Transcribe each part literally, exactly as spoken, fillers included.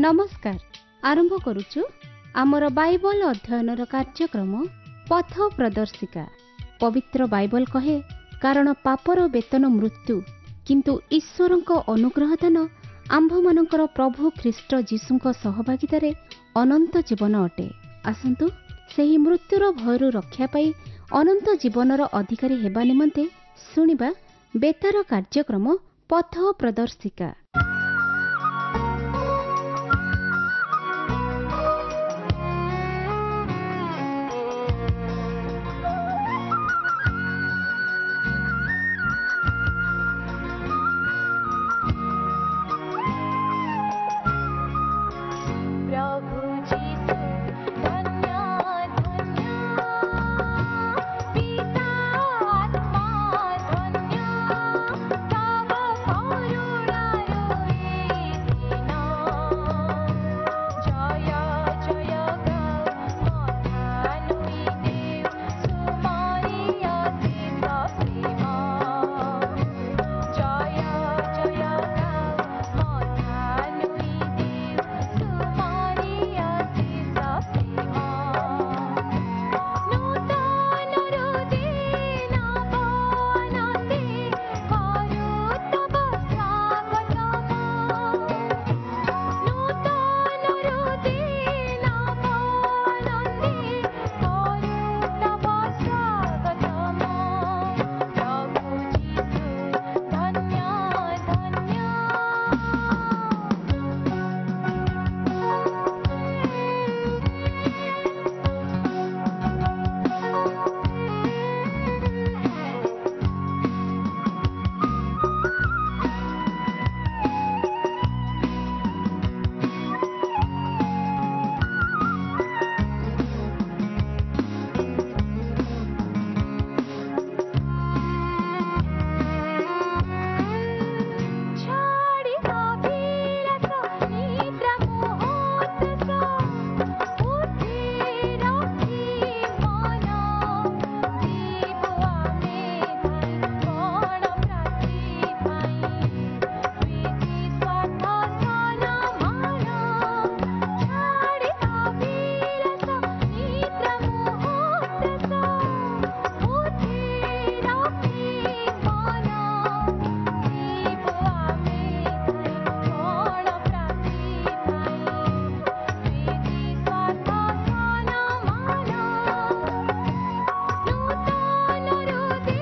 ନମସ୍କାର। ଆରମ୍ଭ କରୁଛୁ ଆମର ବାଇବଲ ଅଧ୍ୟୟନର କାର୍ଯ୍ୟକ୍ରମ ପଥ ପ୍ରଦର୍ଶିକା। ପବିତ୍ର ବାଇବଲ କହେ, କାରଣ ପାପର ବେତନ ମୃତ୍ୟୁ, କିନ୍ତୁ ଈଶ୍ୱରଙ୍କ ଅନୁଗ୍ରହ ଦାନ ଆମ୍ଭମାନଙ୍କର ପ୍ରଭୁ ଖ୍ରୀଷ୍ଟ ଯୀଶୁଙ୍କ ସହଭାଗିତାରେ ଅନନ୍ତ ଜୀବନ ଅଟେ। ଆସନ୍ତୁ ସେହି ମୃତ୍ୟୁର ଭୟରୁ ରକ୍ଷା ପାଇ ଅନନ୍ତ ଜୀବନର ଅଧିକାରୀ ହେବା ନିମନ୍ତେ ଶୁଣିବା ବେତାର କାର୍ଯ୍ୟକ୍ରମ ପଥ ପ୍ରଦର୍ଶିକା। ପ୍ରଭୁ ଯୀଶୁ ଧନ୍ୟ ଧନ୍ୟ, ପିତା ଆତ୍ମା ଧନ୍ୟ, ତବ କରୁଣାରୁ ଏ ଦିନ। ଜୟ ଜୟ ଗାଉ ମଥା ନୋଇ ଦେଉ ସୁମରି ଅଶେଷ ପ୍ରେମ। ଜୟ ଜୟ ଗାଉ ମଥା ନୋଇ ଦେଉ ସୁମରି ଅଶେଷ ପ୍ରେମ। ନୂତନ ହୃଦେ ନବନନ୍ଦେ କରୁ ତବ ସ୍ୱାଗତମ। ନୂତନ ହୃଦେ ନବନନ୍ଦେ କରୁ ତବ ସ୍ୱାଗତମ। ପ୍ରଭୁ ଯୀଶୁ ଧନ୍ୟ ଧନ୍ୟ। ଛାଡ଼ି ଅଭିଳାଷ ନିଦ୍ରା ମୋହ ବୁଦ୍ଧି ରଖି ମନ, ଯିବୁ ଆମେ ଧାଇଁ କଣ ପ୍ରାପ୍ତି ପାଇଁ। ପ୍ରୀତି ସ୍ୱାର୍ଥ ସନମାନ। ଛାଡ଼ି ଅଭିଳାଷ ନିଦ୍ରା ମୋହ ବୁଦ୍ଧି ରଖି ମନ, ଯିବୁ ଆମେ ଧାଇଁ କଣ ପ୍ରାପ୍ତି ପାଇଁ। ପ୍ରୀତି ସ୍ୱାର୍ଥ ସନମାନ। ନୂତନ ହୃଦେ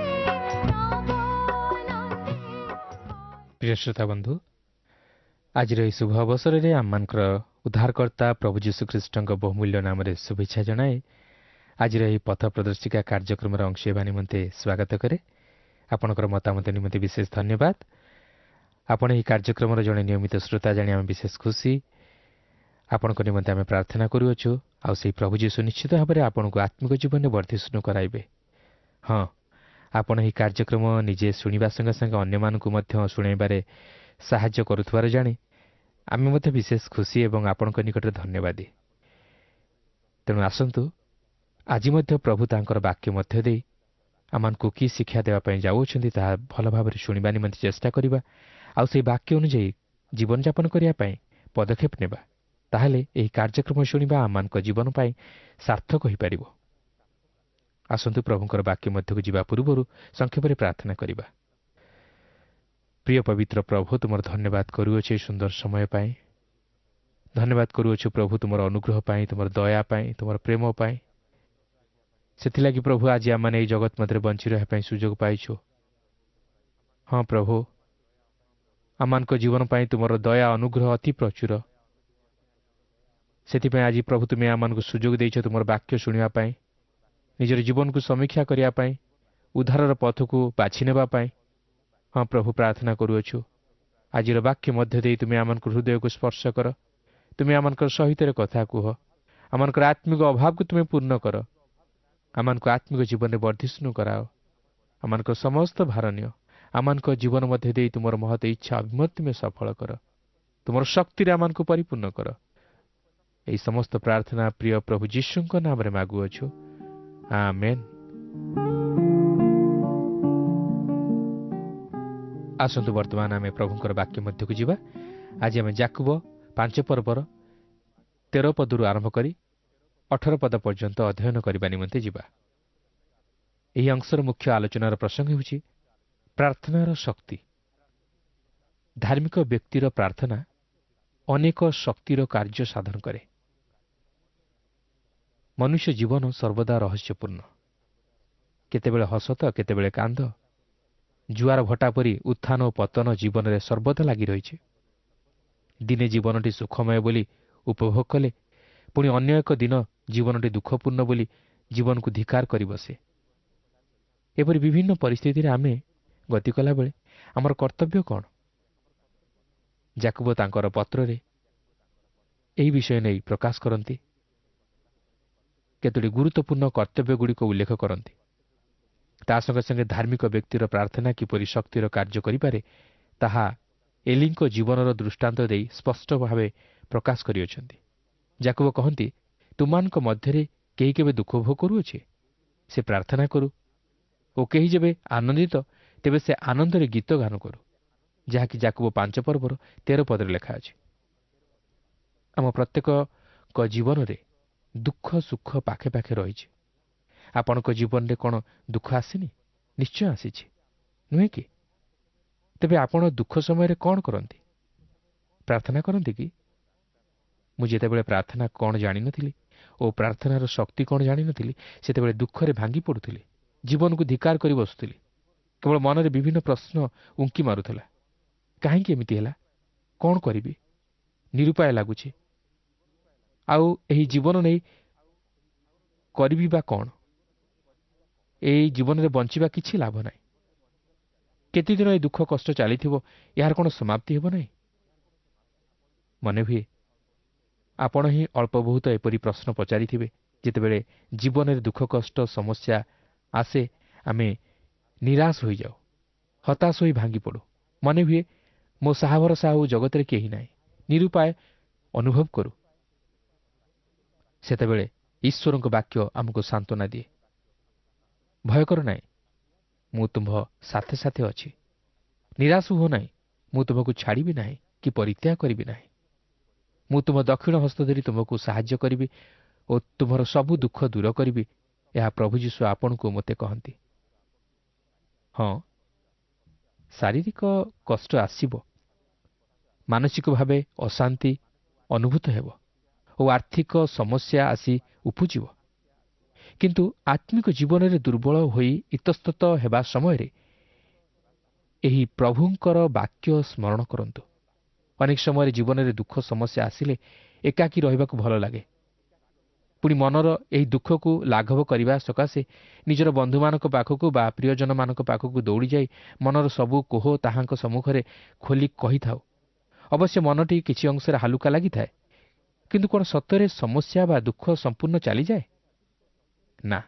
ନବନନ୍ଦେ। ପ୍ରିୟ ଶ୍ରୋତା ବନ୍ଧୁ, ଆଜିର ଏହି ଶୁଭ ଅବସରରେ ଆମମାନଙ୍କର ଉଦ୍ଧାରକର୍ତ୍ତା ପ୍ରଭୁ ଯୀଶୁଖ୍ରୀଷ୍ଟଙ୍କ ବହୁମୂଲ୍ୟ ନାମରେ ଶୁଭେଚ୍ଛା ଜଣାଇ ଆଜିର ଏହି ପଥ ପ୍ରଦର୍ଶିକା କାର୍ଯ୍ୟକ୍ରମର ଅଂଶ ହେବା ନିମନ୍ତେ ସ୍ୱାଗତ କରେ। ଆପଣଙ୍କର ମତାମତ ନିମନ୍ତେ ବିଶେଷ ଧନ୍ୟବାଦ। ଆପଣ ଏହି କାର୍ଯ୍ୟକ୍ରମର ଜଣେ ନିୟମିତ ଶ୍ରୋତା ଜାଣି ଆମେ ବିଶେଷ ଖୁସି। ଆପଣଙ୍କ ନିମନ୍ତେ ଆମେ ପ୍ରାର୍ଥନା କରୁଅଛୁ, ଆଉ ସେହି ପ୍ରଭୁ ଯୀଶୁ ନିଶ୍ଚିତ ଭାବରେ ଆପଣଙ୍କୁ ଆତ୍ମିକ ଜୀବନରେ ବର୍ଦ୍ଧିଷ୍ଣୁ କରାଇବେ। ହଁ, ଆପଣ ଏହି କାର୍ଯ୍ୟକ୍ରମ ନିଜେ ଶୁଣିବା ସଙ୍ଗେ ସଙ୍ଗେ ଅନ୍ୟମାନଙ୍କୁ ମଧ୍ୟ ଶୁଣାଇବାରେ ସାହାଯ୍ୟ କରୁଥିବାର ଜାଣି ଆମେ ମଧ୍ୟ ବିଶେଷ ଖୁସି ଏବଂ ଆପଣଙ୍କ ନିକଟରେ ଧନ୍ୟବାଦୀ। ତେଣୁ ଆସନ୍ତୁ ଆଜି ମଧ୍ୟ ପ୍ରଭୁ ତାଙ୍କର ବାକ୍ୟ ମଧ୍ୟ ଦେଇ ଆମମାନଙ୍କୁ କି ଶିକ୍ଷା ଦେବା ପାଇଁ ଯାଉଅଛନ୍ତି, ତାହା ଭଲ ଭାବରେ ଶୁଣିବା ନିମନ୍ତେ ଚେଷ୍ଟା କରିବା, ଆଉ ସେହି ବାକ୍ୟ ଅନୁଯାୟୀ ଜୀବନଯାପନ କରିବା ପାଇଁ ପଦକ୍ଷେପ ନେବା। ତାହେଲେ ଏହି କାର୍ଯ୍ୟକ୍ରମ ଶୁଣିବା ଆମମାନଙ୍କ ଜୀବନ ପାଇଁ ସାର୍ଥକ ହୋଇପାରିବ। ଆସନ୍ତୁ ପ୍ରଭୁଙ୍କର ବାକ୍ୟ ମଧ୍ୟକୁ ଯିବା ପୂର୍ବରୁ ସଂକ୍ଷେପରେ ପ୍ରାର୍ଥନା କରିବା। ପ୍ରିୟ ପବିତ୍ର ପ୍ରଭୁ, ତୁମର ଧନ୍ୟବାଦ କରୁଅଛୁ ଏହି ସୁନ୍ଦର ସମୟ ପାଇଁ। ଧନ୍ୟବାଦ କରୁଅଛୁ ପ୍ରଭୁ ତୁମର ଅନୁଗ୍ରହ ପାଇଁ, ତୁମର ଦୟା ପାଇଁ, ତୁମର ପ୍ରେମ ପାଇଁ। ସେଥିଲାଗି ପ୍ରଭୁ ଆଜି ଆମମାନେ ଏହି ଜଗତ ମଧ୍ୟରେ ବଞ୍ଚି ରହିବା ପାଇଁ ସୁଯୋଗ ପାଇଛୁ। ହଁ ପ୍ରଭୁ, ଆମମାନଙ୍କ ଜୀବନ ପାଇଁ ତୁମର ଦୟା ଅନୁଗ୍ରହ ଅତି ପ୍ରଚୁର। ସେଥିପାଇଁ ଆଜି ପ୍ରଭୁ ତୁମେ ଆମମାନଙ୍କୁ ସୁଯୋଗ ଦେଇଛ ତୁମର ବାକ୍ୟ ଶୁଣିବା ପାଇଁ, ନିଜର ଜୀବନକୁ ସମୀକ୍ଷା କରିବା ପାଇଁ, ଉଦ୍ଧାରର ପଥକୁ ବାଛି ନେବା ପାଇଁ। ହଁ ପ୍ରଭୁ, ପ୍ରାର୍ଥନା କରୁଅଛୁ ଆଜିର ବାକ୍ୟ ମଧ୍ୟ ଦେଇ ତୁମେ ଆମମାନଙ୍କ ହୃଦୟକୁ ସ୍ପର୍ଶ କର। ତୁମେ ଆମମାନଙ୍କର ସହିତ କଥା କୁହ। ଆମମାନଙ୍କର ଆତ୍ମିକ ଅଭାବକୁ ତୁମେ ପୂର୍ଣ୍ଣ କର। ଆମମାନଙ୍କୁ ଆତ୍ମିକ ଜୀବନରେ ବର୍ଦ୍ଧିଷ୍ଣୁ କରାଅ। ଆମମାନଙ୍କର ସମସ୍ତ ଭାର ନିଅ। ଆମମାନଙ୍କ ଜୀବନ ମଧ୍ୟ ଦେଇ ତୁମର ମହତ ଇଚ୍ଛା ଅଭିମତ ତୁମେ ସଫଳ କର। ତୁମର ଶକ୍ତିରେ ଆମମାନଙ୍କୁ ପରିପୂର୍ଣ୍ଣ କର। ଏହି ସମସ୍ତ ପ୍ରାର୍ଥନା ପ୍ରିୟ ପ୍ରଭୁ ଯୀଶୁଙ୍କ ନାମରେ ମାଗୁଅଛୁ, ଆମେନ୍। ଆସନ୍ତୁ ବର୍ତ୍ତମାନ ଆମେ ପ୍ରଭୁଙ୍କର ବାକ୍ୟ ମଧ୍ୟକୁ ଯିବା। ଆଜି ଆମେ ଯାକୁବ ପାଞ୍ଚ ପର୍ବର ତେର ପଦରୁ ଆରମ୍ଭ କରି ଅଠର ପଦ ପର୍ଯ୍ୟନ୍ତ ଅଧ୍ୟୟନ କରିବା ନିମନ୍ତେ ଯିବା। ଏହି ଅଂଶର ମୁଖ୍ୟ ଆଲୋଚନାର ପ୍ରସଙ୍ଗ ହେଉଛି ପ୍ରାର୍ଥନାର ଶକ୍ତି। ଧାର୍ମିକ ବ୍ୟକ୍ତିର ପ୍ରାର୍ଥନା ଅନେକ ଶକ୍ତିର କାର୍ଯ୍ୟ ସାଧନ କରେ। ମନୁଷ୍ୟ ଜୀବନ ସର୍ବଦା ରହସ୍ୟପୂର୍ଣ୍ଣ। କେତେବେଳେ ହସ ତ କେତେବେଳେ କାନ୍ଦ, ଜୁଆର ଭଟା ପରି ଉତ୍ଥାନ ଓ ପତନ ଜୀବନରେ ସର୍ବଦା ଲାଗି ରହିଛି। ଦିନେ ଜୀବନଟି ସୁଖମୟ ବୋଲି ଉପଭୋଗ କଲେ ପୁଣି ଅନ୍ୟ ଏକ ଦିନ ଜୀବନଟି ଦୁଃଖପୂର୍ଣ୍ଣ ବୋଲି ଜୀବନକୁ ଧିକାର କରି ବସେ। ଏପରି ବିଭିନ୍ନ ପରିସ୍ଥିତିରେ ଆମେ ଗତି କଲାବେଳେ ଆମର କର୍ତ୍ତବ୍ୟ କ'ଣ? ଯାକୁବ ତାଙ୍କର ପତ୍ରରେ ଏହି ବିଷୟ ନେଇ ପ୍ରକାଶ କରନ୍ତି। କେତୋଟି ଗୁରୁତ୍ୱପୂର୍ଣ୍ଣ କର୍ତ୍ତବ୍ୟଗୁଡ଼ିକ ଉଲ୍ଲେଖ କରନ୍ତି। ତା ସଙ୍ଗେ ସଙ୍ଗେ ଧାର୍ମିକ ବ୍ୟକ୍ତିର ପ୍ରାର୍ଥନା କିପରି ଶକ୍ତିର କାର୍ଯ୍ୟ କରିପାରେ ତାହା ଏଲିଙ୍କ ଜୀବନର ଦୃଷ୍ଟାନ୍ତ ଦେଇ ସ୍ପଷ୍ଟ ଭାବେ ପ୍ରକାଶ କରିଅଛନ୍ତି। ଯାକୁବ କହନ୍ତି, ତୁମମାନଙ୍କ ମଧ୍ୟରେ କେହି କେବେ ଦୁଃଖ ଭୋଗ କରୁଅଛି, ସେ ପ୍ରାର୍ଥନା କରୁ, ଓ କେହି ଯେବେ ଆନନ୍ଦିତ ତେବେ ସେ ଆନନ୍ଦରେ ଗୀତ ଗାନ କରୁ, ଯାହାକି ଯାକୁବ ପାଞ୍ଚ ପର୍ବର ତେର ପଦରେ ଲେଖା ଅଛି। ଆମ ପ୍ରତ୍ୟେକଙ୍କ ଜୀବନରେ ଦୁଃଖ ସୁଖ ପାଖେ ପାଖେ ରହିଛି। ଆପଣଙ୍କ ଜୀବନରେ କ'ଣ ଦୁଃଖ ଆସିନି? ନିଶ୍ଚୟ ଆସିଛି, ନୁହେଁ କି? ତେବେ ଆପଣ ଦୁଃଖ ସମୟରେ କ'ଣ କରନ୍ତି? ପ୍ରାର୍ଥନା କରନ୍ତି କି? ମୁଁ ଯେତେବେଳେ ପ୍ରାର୍ଥନା କ'ଣ ଜାଣିନଥିଲି ଓ ପ୍ରାର୍ଥନାର ଶକ୍ତି କ'ଣ ଜାଣିନଥିଲି, ସେତେବେଳେ ଦୁଃଖରେ ଭାଙ୍ଗି ପଡ଼ୁଥିଲି, ଜୀବନକୁ ଧିକାର କରି ବସୁଥିଲି। କେବଳ ମନରେ ବିଭିନ୍ନ ପ୍ରଶ୍ନ ଉଙ୍କି ମାରୁଥିଲା। କାହିଁକି ଏମିତି ହେଲା? କ'ଣ କରିବି? ନିରୁପାୟ ଲାଗୁଛି। ଆଉ ଏହି ଜୀବନ ନେଇ କରିବି ବା କ'ଣ? ଏହି ଜୀବନରେ ବଞ୍ଚିବା କିଛି ଲାଭ ନାହିଁ। କେତେଦିନ ଏ ଦୁଃଖ କଷ୍ଟ ଚାଲିଥିବ, ଏହାର କ'ଣ ସମାପ୍ତି ହେବ ନାହିଁ? ମନେ ହୁଏ ଆପଣ ହିଁ ଅଳ୍ପ ବହୁତ ଏପରି ପ୍ରଶ୍ନ ପଚାରିଥିବେ। ଯେତେବେଳେ ଜୀବନରେ ଦୁଃଖ କଷ୍ଟ ସମସ୍ୟା ଆସେ, ଆମେ ନିରାଶ ହୋଇଯାଉ, ହତାଶ ହୋଇ ଭାଙ୍ଗି ପଡ଼ୁ। ମନେ ହୁଏ ମୋ ସାହା ଭରସା ଆଉ ଜଗତରେ କେହି ନାହିଁ, ନିରୁପାୟ ଅନୁଭବ କରୁ। ସେତେବେଳେ ଈଶ୍ୱରଙ୍କ ବାକ୍ୟ ଆମକୁ ସାନ୍ତ୍ୱନା ଦିଏ, ଭୟ କର ନାହିଁ, ମୁଁ ତୁମ୍ଭ ସାଥେ ସାଥେ ଅଛି। ନିରାଶ ହୁଅ ନାହିଁ, ମୁଁ ତୁମକୁ ଛାଡ଼ିବି ନାହିଁ କି ପରିତ୍ୟାଗ କରିବି ନାହିଁ। ମୁଁ ତୁମ ଦକ୍ଷିଣ ହସ୍ତ ଧରି ତୁମକୁ ସାହାଯ୍ୟ କରିବି ଓ ତୁମର ସବୁ ଦୁଃଖ ଦୂର କରିବି। ଏହା ପ୍ରଭୁ ଯୀଶୁ ଆପଣଙ୍କୁ ମୋତେ କହନ୍ତି। ହଁ, ଶାରୀରିକ କଷ୍ଟ ଆସିବ, ମାନସିକ ଭାବେ ଅଶାନ୍ତି ଅନୁଭୂତ ହେବ ଓ ଆର୍ଥିକ ସମସ୍ୟା ଆସି ଉପୁଜିବ, କିନ୍ତୁ ଆତ୍ମିକ ଜୀବନରେ ଦୁର୍ବଳ ହୋଇ ଇତସ୍ତତ ହେବା ସମୟରେ ଏହି ପ୍ରଭୁଙ୍କର ବାକ୍ୟ ସ୍ମରଣ କରନ୍ତୁ। ଅନେକ ସମୟରେ ଜୀବନରେ ଦୁଃଖ ସମସ୍ୟା ଆସିଲେ ଏକାକୀ ରହିବାକୁ ଭଲ ଲାଗେ। ପୁଣି ମନର ଏହି ଦୁଃଖକୁ ଲାଘବ କରିବା ସକାଶେ ନିଜର ବନ୍ଧୁମାନଙ୍କ ପାଖକୁ ବା ପ୍ରିୟଜନମାନଙ୍କ ପାଖକୁ ଦୌଡ଼ିଯାଇ ମନର ସବୁ କୋହ ତାହାଙ୍କ ସମ୍ମୁଖରେ ଖୋଲି କହିଥାଉ। ଅବଶ୍ୟ ମନଟି କିଛି ଅଂଶରେ ହାଲୁକା ଲାଗିଥାଏ, କିନ୍ତୁ କ'ଣ ସତରେ ସମସ୍ୟା ବା ଦୁଃଖ ସମ୍ପୂର୍ଣ୍ଣ ଚାଲିଯାଏ? ନା।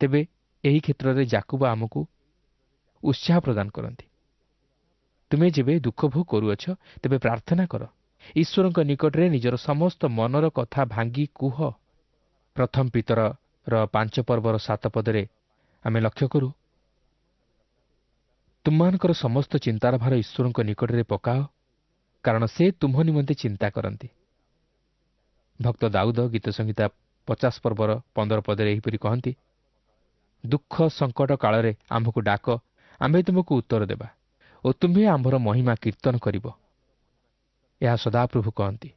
ତେବେ ଏହି କ୍ଷେତ୍ରରେ ଯାକୁବ ଆମକୁ ଉତ୍ସାହ ପ୍ରଦାନ କରନ୍ତି। ତୁମେ ଯେବେ ଦୁଃଖ ଭୋଗ କରୁଅଛ ତେବେ ପ୍ରାର୍ଥନା କର, ଈଶ୍ୱରଙ୍କ ନିକଟରେ ନିଜର ସମସ୍ତ ମନର କଥା ଭାଙ୍ଗି କୁହ। ପ୍ରଥମ ପିତରର ପାଞ୍ଚ ପର୍ବର ସାତ ପଦରେ ଆମେ ଲକ୍ଷ୍ୟ କରୁ, ତୁମମାନଙ୍କର ସମସ୍ତ ଚିନ୍ତାର ଭାର ଈଶ୍ୱରଙ୍କ ନିକଟରେ ପକାଅ, କାରଣ ସେ ତୁମ୍ଭ ନିମନ୍ତେ ଚିନ୍ତା କରନ୍ତି। ଭକ୍ତ ଦାଉଦ ଗୀତ ସଂହିତା ପଚାଶ ପର୍ବର ପନ୍ଦର ପଦରେ ଏହିପରି କହନ୍ତି, ଦୁଃଖ ସଙ୍କଟ କାଳରେ ଆମ୍ଭକୁ ଡାକ, ଆମ୍ଭେ ତୁମକୁ ଉତ୍ତର ଦେବା ଓ ତୁମ୍ଭେ ଆମ୍ଭର ମହିମା କୀର୍ତ୍ତନ କରିବ। ଏହା ସଦାପ୍ରଭୁ କହନ୍ତି।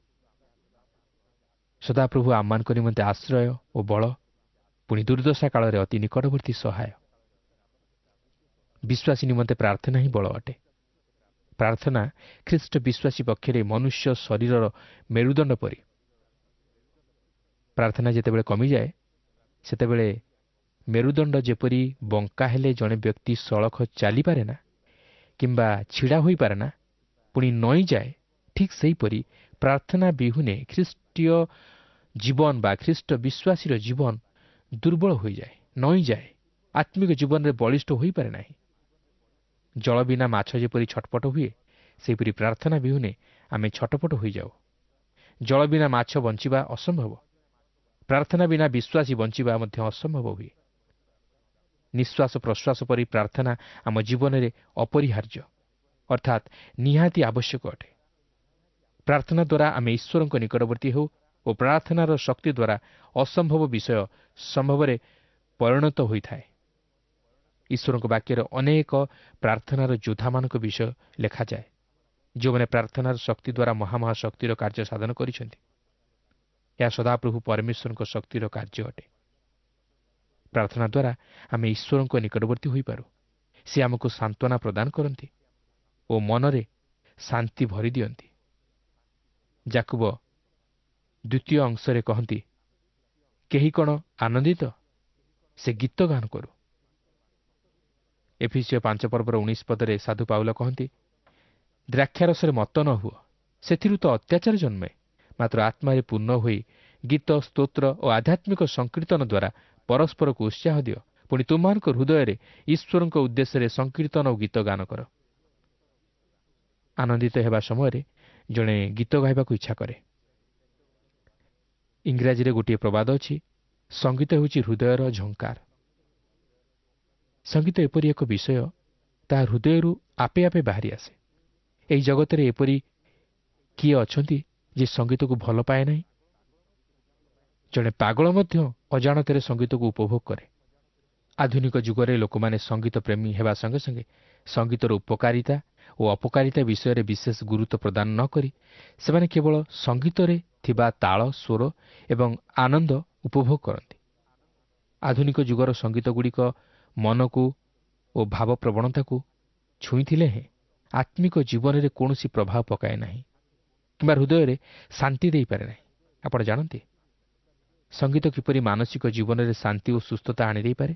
ସଦାପ୍ରଭୁ ଆମମାନଙ୍କ ନିମନ୍ତେ ଆଶ୍ରୟ ଓ ବଳ, ପୁଣି ଦୁର୍ଦ୍ଦଶା କାଳରେ ଅତି ନିକଟବର୍ତ୍ତୀ ସହାୟ। ବିଶ୍ୱାସୀ ନିମନ୍ତେ ପ୍ରାର୍ଥନା ହିଁ ବଳ ଅଟେ। ପ୍ରାର୍ଥନା ଖ୍ରୀଷ୍ଟ ବିଶ୍ୱାସୀ ପକ୍ଷରେ ମନୁଷ୍ୟ ଶରୀରର ମେରୁଦଣ୍ଡ ପରି। ପ୍ରାର୍ଥନା ଯେତେବେଳେ କମିଯାଏ, ସେତେବେଳେ ମେରୁଦଣ୍ଡ ଯେପରି ବଙ୍କା ହେଲେ ଜଣେ ବ୍ୟକ୍ତି ସଳଖ ଚାଲିପାରେ ନା କିମ୍ବା ଛିଡ଼ା ହୋଇପାରେ ନା, ପୁଣି ନଇଁଯାଏ, ଠିକ୍ ସେହିପରି ପ୍ରାର୍ଥନା ବିହୁନେ ଖ୍ରୀଷ୍ଟୀୟ ଜୀବନ ବା ଖ୍ରୀଷ୍ଟ ବିଶ୍ୱାସୀର ଜୀବନ ଦୁର୍ବଳ ହୋଇଯାଏ, ନଇଁଯାଏ, ଆତ୍ମିକ ଜୀବନରେ ବଳିଷ୍ଠ ହୋଇପାରେ ନାହିଁ। ଜଳ ବିନା ମାଛ ଯେପରି ଛଟପଟ ହୁଏ, ସେହିପରି ପ୍ରାର୍ଥନା ବିହୁନେ ଆମେ ଛଟପଟ ହୋଇଯାଉ। ଜଳ ବିନା ମାଛ ବଞ୍ଚିବା ଅସମ୍ଭବ, ପ୍ରାର୍ଥନା ବିନା ବିଶ୍ୱାସୀ ବଞ୍ଚିବା ମଧ୍ୟ ଅସମ୍ଭବ ହୁଏ। ନିଶ୍ୱାସ ପ୍ରଶ୍ୱାସ ପରି ପ୍ରାର୍ଥନା ଆମ ଜୀବନରେ ଅପରିହାର୍ଯ୍ୟ, ଅର୍ଥାତ୍ ନିହାତି ଆବଶ୍ୟକ ଅଟେ। ପ୍ରାର୍ଥନା ଦ୍ୱାରା ଆମେ ଈଶ୍ୱରଙ୍କ ନିକଟବର୍ତ୍ତୀ ହେଉ ଓ ପ୍ରାର୍ଥନାର ଶକ୍ତି ଦ୍ୱାରା ଅସମ୍ଭବ ବିଷୟ ସମ୍ଭବରେ ପରିଣତ ହୋଇଥାଏ। ଈଶ୍ୱରଙ୍କ ବାକ୍ୟରେ ଅନେକ ପ୍ରାର୍ଥନାର ଯୋଦ୍ଧାମାନଙ୍କ ବିଷୟ ଲେଖାଯାଏ, ଯେଉଁମାନେ ପ୍ରାର୍ଥନାର ଶକ୍ତି ଦ୍ୱାରା ମହାମହା ଶକ୍ତିର କାର୍ଯ୍ୟ ସାଧନ କରିଛନ୍ତି। ଏହା ସଦାପ୍ରଭୁ ପରମେଶ୍ୱରଙ୍କ ଶକ୍ତିର କାର୍ଯ୍ୟ ଅଟେ। ପ୍ରାର୍ଥନା ଦ୍ୱାରା ଆମେ ଈଶ୍ୱରଙ୍କ ନିକଟବର୍ତ୍ତୀ ହୋଇପାରୁ। ସେ ଆମକୁ ସାନ୍ତ୍ୱନା ପ୍ରଦାନ କରନ୍ତି ଓ ମନରେ ଶାନ୍ତି ଭରି ଦିଅନ୍ତି। ଯାକୁବ ଦ୍ୱିତୀୟ ଅଂଶରେ କହନ୍ତି, କେହି କ'ଣ ଆନନ୍ଦିତ? ସେ ଗୀତ ଗାନ କରୁ। ଏଫିସିଓ ପାଞ୍ଚ ପର୍ବର ଉଣେଇଶ ପଦରେ ସାଧୁ ପାଉଲ କହନ୍ତି, ଦ୍ରାକ୍ଷାରସରେ ମତ ନ ହୁଅ, ସେଥିରୁ ତ ଅତ୍ୟାଚାର ଜନ୍ମେ, ମାତ୍ର ଆତ୍ମାରେ ପୂର୍ଣ୍ଣ ହୋଇ ଗୀତ, ସ୍ତୋତ୍ର ଓ ଆଧ୍ୟାତ୍ମିକ ସଂକୀର୍ତ୍ତନ ଦ୍ୱାରା ପରସ୍ପରକୁ ଉତ୍ସାହ ଦିଅ। ପୁଣି ତୁମମାନଙ୍କ ହୃଦୟରେ ଈଶ୍ୱରଙ୍କ ଉଦ୍ଦେଶ୍ୟରେ ସଂକୀର୍ତ୍ତନ ଓ ଗୀତ ଗାନ କର। ଆନନ୍ଦିତ ହେବା ସମୟରେ ଜଣେ ଗୀତ ଗାଇବାକୁ ଇଚ୍ଛା କରେ। ଇଂରାଜୀରେ ଗୋଟିଏ ପ୍ରବାଦ ଅଛି, ସଙ୍ଗୀତ ହେଉଛି ହୃଦୟର ଝଙ୍କାର। ସଙ୍ଗୀତ ଏପରି ଏକ ବିଷୟ, ତାହା ହୃଦୟରୁ ଆପେ ଆପେ ବାହାରି ଆସେ। ଏହି ଜଗତରେ ଏପରି କିଏ ଅଛନ୍ତି ଯେ ସଙ୍ଗୀତକୁ ଭଲ ପାଏ ନାହିଁ? ଜଣେ ପାଗଳ ମଧ୍ୟ ଅଜାଣତରେ ସଙ୍ଗୀତକୁ ଉପଭୋଗ କରେ। ଆଧୁନିକ ଯୁଗରେ ଲୋକମାନେ ସଙ୍ଗୀତ ପ୍ରେମୀ ହେବା ସଙ୍ଗେ ସଙ୍ଗେ ସଙ୍ଗୀତର ଉପକାରିତା ଓ ଅପକାରିତା ବିଷୟରେ ବିଶେଷ ଗୁରୁତ୍ୱ ପ୍ରଦାନ ନ କରି ସେମାନେ କେବଳ ସଙ୍ଗୀତରେ ଥିବା ତାଳ, ସ୍ୱର ଏବଂ ଆନନ୍ଦ ଉପଭୋଗ କରନ୍ତି। ଆଧୁନିକ ଯୁଗର ସଙ୍ଗୀତଗୁଡ଼ିକ ମନକୁ ଓ ଭାବପ୍ରବଣତାକୁ ଛୁଇଁଥିଲେ ହେଁ ଆତ୍ମିକ ଜୀବନରେ କୌଣସି ପ୍ରଭାବ ପକାଏ ନାହିଁ କିମ୍ବା ହୃଦୟରେ ଶାନ୍ତି ଦେଇପାରେ ନାହିଁ। ଆପଣ ଜାଣନ୍ତି ସଙ୍ଗୀତ କିପରି ମାନସିକ ଜୀବନରେ ଶାନ୍ତି ଓ ସୁସ୍ଥତା ଆଣିଦେଇପାରେ?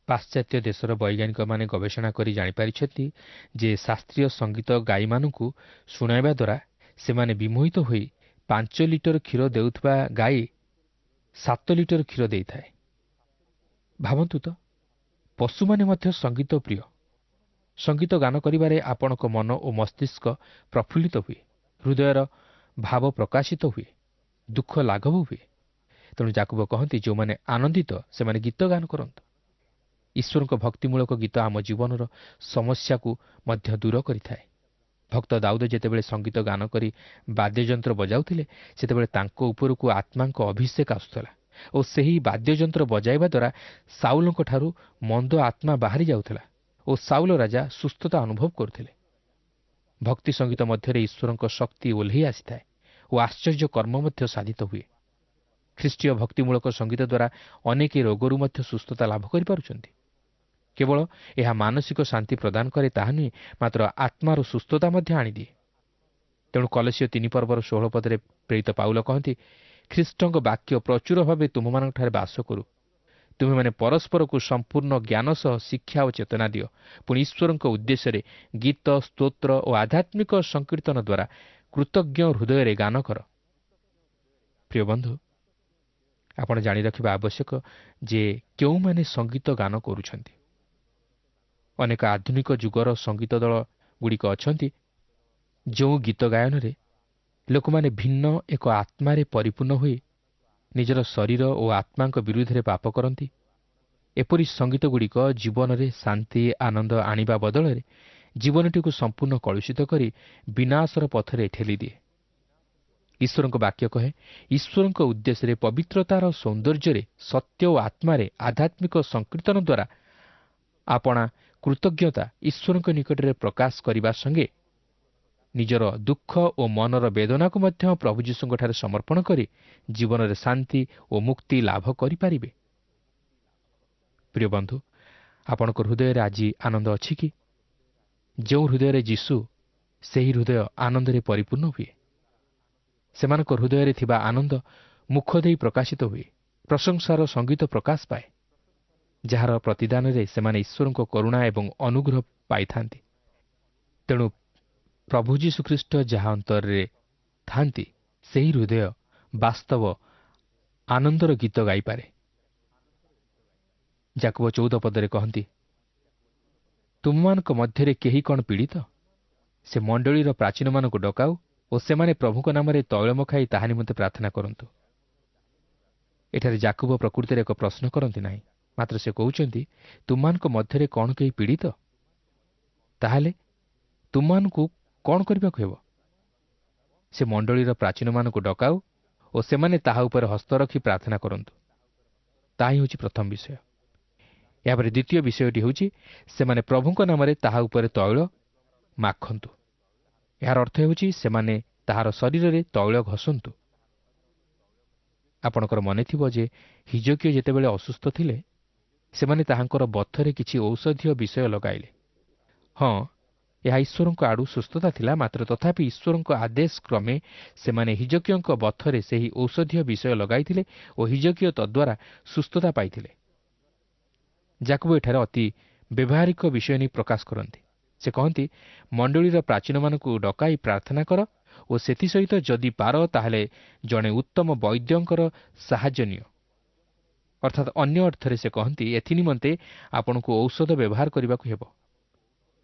ପାଶ୍ଚାତ୍ୟ ଦେଶର ବୈଜ୍ଞାନିକମାନେ ଗବେଷଣା କରି ଜାଣିପାରିଛନ୍ତି ଯେ ଶାସ୍ତ୍ରୀୟ ସଙ୍ଗୀତ ଗାଈମାନଙ୍କୁ ଶୁଣାଇବା ଦ୍ୱାରା ସେମାନେ ବିମୋହିତ ହୋଇ ପାଞ୍ଚ ଲିଟର କ୍ଷୀର ଦେଉଥିବା ଗାଈ ସାତ ଲିଟର କ୍ଷୀର ଦେଇଥାଏ। ଭାବନ୍ତୁ ତ, ପଶୁମାନେ ମଧ୍ୟ ସଙ୍ଗୀତ ପ୍ରିୟ। ସଙ୍ଗୀତ ଗାନ କରିବାରେ ଆପଣଙ୍କ ମନ ଓ ମସ୍ତିଷ୍କ ପ୍ରଫୁଲ୍ଲିତ ହୁଏ, ହୃଦୟର ଭାବ ପ୍ରକାଶିତ ହୁଏ, ଦୁଃଖ ଲାଘବ ହୁଏ। ତେଣୁ ଯାକୁବ କହନ୍ତି, ଯେଉଁମାନେ ଆନନ୍ଦିତ ସେମାନେ ଗୀତ ଗାନ କରନ୍ତୁ। ଈଶ୍ୱରଙ୍କ ଭକ୍ତିମୂଳକ ଗୀତ ଆମ ଜୀବନର ସମସ୍ୟାକୁ ମଧ୍ୟ ଦୂର କରିଥାଏ। ଭକ୍ତ ଦାଉଦ ଯେତେବେଳେ ସଙ୍ଗୀତ ଗାନ କରି ବାଦ୍ୟଯନ୍ତ୍ର ବଜାଉଥିଲେ, ସେତେବେଳେ ତାଙ୍କ ଉପରକୁ ଆତ୍ମାଙ୍କ ଅଭିଷେକ ଆସୁଥିଲା ଓ ସେହି ବାଦ୍ୟଯନ୍ତ୍ର ବଜାଇବା ଦ୍ୱାରା ସାଉଲଙ୍କଠାରୁ ମନ୍ଦ ଆତ୍ମା ବାହାରି ଯାଉଥିଲା ଓ ସାଉଲ ରାଜା ସୁସ୍ଥତା ଅନୁଭବ କରୁଥିଲେ। ଭକ୍ତି ସଙ୍ଗୀତ ମଧ୍ୟରେ ଈଶ୍ୱରଙ୍କ ଶକ୍ତି ଓହ୍ଲେଇ ଆସିଥାଏ ଓ ଆଶ୍ଚର୍ଯ୍ୟ କର୍ମ ମଧ୍ୟ ସାଧିତ ହୁଏ। ଖ୍ରୀଷ୍ଟୀୟ ଭକ୍ତିମୂଳକ ସଙ୍ଗୀତ ଦ୍ୱାରା ଅନେକ ରୋଗରୁ ମଧ୍ୟ ସୁସ୍ଥତା ଲାଭ କରିପାରୁଛନ୍ତି। କେବଳ ଏହା ମାନସିକ ଶାନ୍ତି ପ୍ରଦାନ କରେ ତାହା ନୁହେଁ, ମାତ୍ର ଆତ୍ମାର ସୁସ୍ଥତା ମଧ୍ୟ ଆଣିଦିଏ। ତେଣୁ କଲସୀୟ ତିନି ପର୍ବର ଷୋହଳ ପଦରେ ପ୍ରେରିତ ପାଉଲ କହନ୍ତି, ଖ୍ରୀଷ୍ଟଙ୍କ ବାକ୍ୟ ପ୍ରଚୁର ଭାବେ ତୁମମାନଙ୍କଠାରେ ବାସ କରୁ, ତୁମେମାନେ ପରସ୍ପରକୁ ସମ୍ପୂର୍ଣ୍ଣ ଜ୍ଞାନ ସହ ଶିକ୍ଷା ଓ ଚେତନା ଦିଅ। ପୁଣି ଈଶ୍ୱରଙ୍କ ଉଦ୍ଦେଶ୍ୟରେ ଗୀତ, ସ୍ତୋତ୍ର ଓ ଆଧ୍ୟାତ୍ମିକ ସଂକୀର୍ତ୍ତନ ଦ୍ୱାରା କୃତଜ୍ଞ ହୃଦୟରେ ଗାନ କର। ପ୍ରିୟ ବନ୍ଧୁ, ଆପଣ ଜାଣି ରଖିବା ଆବଶ୍ୟକ ଯେ କେଉଁମାନେ ସଙ୍ଗୀତ ଗାନ କରୁଛନ୍ତି। ଅନେକ ଆଧୁନିକ ଯୁଗର ସଙ୍ଗୀତ ଦଳ ଗୁଡ଼ିକ ଅଛନ୍ତି, ଯେଉଁ ଗୀତ ଗାୟନରେ ଲୋକମାନେ ଭିନ୍ନ ଏକ ଆତ୍ମାରେ ପରିପୂର୍ଣ୍ଣ ହୋଇ ନିଜର ଶରୀର ଓ ଆତ୍ମାଙ୍କ ବିରୁଦ୍ଧରେ ପାପ କରନ୍ତି। ଏପରି ସଙ୍ଗୀତଗୁଡ଼ିକ ଜୀବନରେ ଶାନ୍ତି ଆନନ୍ଦ ଆଣିବା ବଦଳରେ ଜୀବନଟିକୁ ସମ୍ପୂର୍ଣ୍ଣ କଳୁଷିତ କରି ବିନାଶର ପଥରେ ଠେଲିଦିଏ। ଈଶ୍ୱରଙ୍କ ବାକ୍ୟ କହେ, ଈଶ୍ୱରଙ୍କ ଉଦ୍ଦେଶ୍ୟରେ ପବିତ୍ରତାର ସୌନ୍ଦର୍ଯ୍ୟରେ ସତ୍ୟ ଓ ଆତ୍ମାରେ ଆଧ୍ୟାତ୍ମିକ ସଂକୀର୍ତ୍ତନ ଦ୍ୱାରା ଆପଣା କୃତଜ୍ଞତା ଈଶ୍ୱରଙ୍କ ନିକଟରେ ପ୍ରକାଶ କରିବା ସଙ୍ଗେ ନିଜର ଦୁଃଖ ଓ ମନର ବେଦନାକୁ ମଧ୍ୟ ପ୍ରଭୁ ଯୀଶୁଙ୍କଠାରେ ସମର୍ପଣ କରି ଜୀବନରେ ଶାନ୍ତି ଓ ମୁକ୍ତି ଲାଭ କରିପାରିବେ। ପ୍ରିୟ ବନ୍ଧୁ, ଆପଣଙ୍କ ହୃଦୟରେ ଆଜି ଆନନ୍ଦ ଅଛି କି? ଯେଉଁ ହୃଦୟରେ ଯୀଶୁ, ସେହି ହୃଦୟ ଆନନ୍ଦରେ ପରିପୂର୍ଣ୍ଣ ହୁଏ। ସେମାନଙ୍କ ହୃଦୟରେ ଥିବା ଆନନ୍ଦ ମୁଖ ଦେଇ ପ୍ରକାଶିତ ହୁଏ, ପ୍ରଶଂସାର ସଙ୍ଗୀତ ପ୍ରକାଶ ପାଏ, ଯାହାର ପ୍ରତିଦାନରେ ସେମାନେ ଈଶ୍ୱରଙ୍କ କରୁଣା ଏବଂ ଅନୁଗ୍ରହ ପାଇଥାନ୍ତି। ତେଣୁ ପ୍ରଭୁ ଯୀଶୁଖ୍ରୀଷ୍ଟ ଯାହା ଅନ୍ତରରେ ଥାନ୍ତି, ସେହି ହୃଦୟ ବାସ୍ତବ ଆନନ୍ଦର ଗୀତ ଗାଇପାରେ। ଯାକୁବ ଚଉଦ ପଦରେ କହନ୍ତି, ତୁମମାନଙ୍କ ମଧ୍ୟରେ କେହି କ'ଣ ପୀଡ଼ିତ? ସେ ମଣ୍ଡଳୀର ପ୍ରାଚୀନମାନଙ୍କୁ ଡକାଉ ଓ ସେମାନେ ପ୍ରଭୁଙ୍କ ନାମରେ ତୈଳ ମଖାଇ ତାହା ନିମନ୍ତେ ପ୍ରାର୍ଥନା କରନ୍ତୁ। ଏଠାରେ ଯାକୁବ ପ୍ରକୃତିରେ ଏକ ପ୍ରଶ୍ନ କରନ୍ତି ନାହିଁ, ମାତ୍ର ସେ କହୁଛନ୍ତି, ତୁମମାନଙ୍କ ମଧ୍ୟରେ କ'ଣ କେହି ପୀଡ଼ିତ? ତାହେଲେ ତୁମମାନଙ୍କୁ କ'ଣ କରିବାକୁ ହେବ? ସେ ମଣ୍ଡଳୀର ପ୍ରାଚୀନମାନଙ୍କୁ ଡକାଉ ଓ ସେମାନେ ତାହା ଉପରେ ହସ୍ତ ରଖି ପ୍ରାର୍ଥନା କରନ୍ତୁ। ତାହା ହିଁ ହେଉଛି ପ୍ରଥମ ବିଷୟ। ଏହାପରେ ଦ୍ୱିତୀୟ ବିଷୟଟି ହେଉଛି ସେମାନେ ପ୍ରଭୁଙ୍କ ନାମରେ ତାହା ଉପରେ ତୈଳ ମାଖନ୍ତୁ। ଏହାର ଅର୍ଥ ହେଉଛି ସେମାନେ ତାହାର ଶରୀରରେ ତୈଳ ଘଷନ୍ତୁ। ଆପଣଙ୍କର ମନେଥିବ ଯେ ହିଜକିୟ ଯେତେବେଳେ ଅସୁସ୍ଥ ଥିଲେ, ସେମାନେ ତାହାଙ୍କର ବଥରେ କିଛି ଔଷଧୀୟ ବିଷୟ ଲଗାଇଲେ। ହଁ, ଏହା ଈଶ୍ୱରଙ୍କ ଆଡ଼ୁ ସୁସ୍ଥତା ଥିଲା, ମାତ୍ର ତଥାପି ଈଶ୍ୱରଙ୍କ ଆଦେଶ କ୍ରମେ ସେମାନେ ହିଜକିୟଙ୍କ ବଥରେ ସେହି ଔଷଧୀୟ ବିଷୟ ଲଗାଇଥିଲେ ଓ ହିଜକିୟ ତଦ୍ୱାରା ସୁସ୍ଥତା ପାଇଥିଲେ। ଯାକୁବ ଏଠାରେ ଅତି ବ୍ୟବହାରିକ ବିଷୟ ନେଇ ପ୍ରକାଶ କରନ୍ତି। ସେ କହନ୍ତି, ମଣ୍ଡଳୀର ପ୍ରାଚୀନମାନଙ୍କୁ ଡକାଇ ପ୍ରାର୍ଥନା କର ଓ ସେଥିସହିତ ଯଦି ପାର ତାହେଲେ ଜଣେ ଉତ୍ତମ ବୈଦ୍ୟଙ୍କର ସାହାଯ୍ୟ ନିଅ। ଅର୍ଥାତ୍ ଅନ୍ୟ ଅର୍ଥରେ ସେ କହନ୍ତି, ଏଥିନିମନ୍ତେ ଆପଣଙ୍କୁ ଔଷଧ ବ୍ୟବହାର କରିବାକୁ ହେବ।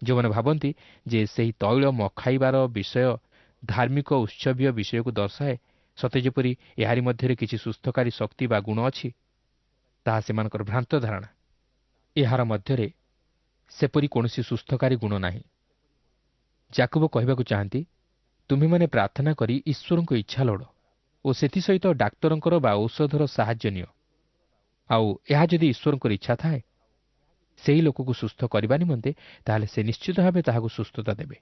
ଯେଉଁମାନେ ଭାବନ୍ତି ଯେ ସେହି ତୈଳ ମଖାଇବାର ବିଷୟ ଧାର୍ମିକ ଉତ୍ସବୀୟ ବିଷୟକୁ ଦର୍ଶାଏ, ସତେ ଯେପରି ଏହାରି ମଧ୍ୟରେ କିଛି ସୁସ୍ଥକାରୀ ଶକ୍ତି ବା ଗୁଣ ଅଛି, ତାହା ସେମାନଙ୍କର ଭ୍ରାନ୍ତ ଧାରଣା। ଏହାର ମଧ୍ୟରେ ସେପରି କୌଣସି ସୁସ୍ଥକାରୀ ଗୁଣ ନାହିଁ। ଯାକୁବ କହିବାକୁ ଚାହାନ୍ତି, ତୁମେମାନେ ପ୍ରାର୍ଥନା କରି ଈଶ୍ୱରଙ୍କ ଇଚ୍ଛା ଲୋଡ଼ ଓ ସେଥିସହିତ ଡାକ୍ତରଙ୍କର ବା ଔଷଧର ସାହାଯ୍ୟ ନିଅ। ଆଉ ଏହା ଯଦି ଈଶ୍ୱରଙ୍କର ଇଚ୍ଛା ଥାଏ ସେହି ଲୋକକୁ ସୁସ୍ଥ କରିବା ନିମନ୍ତେ, ତାହେଲେ ସେ ନିଶ୍ଚିତ ଭାବେ ତାହାକୁ ସୁସ୍ଥତା ଦେବେ।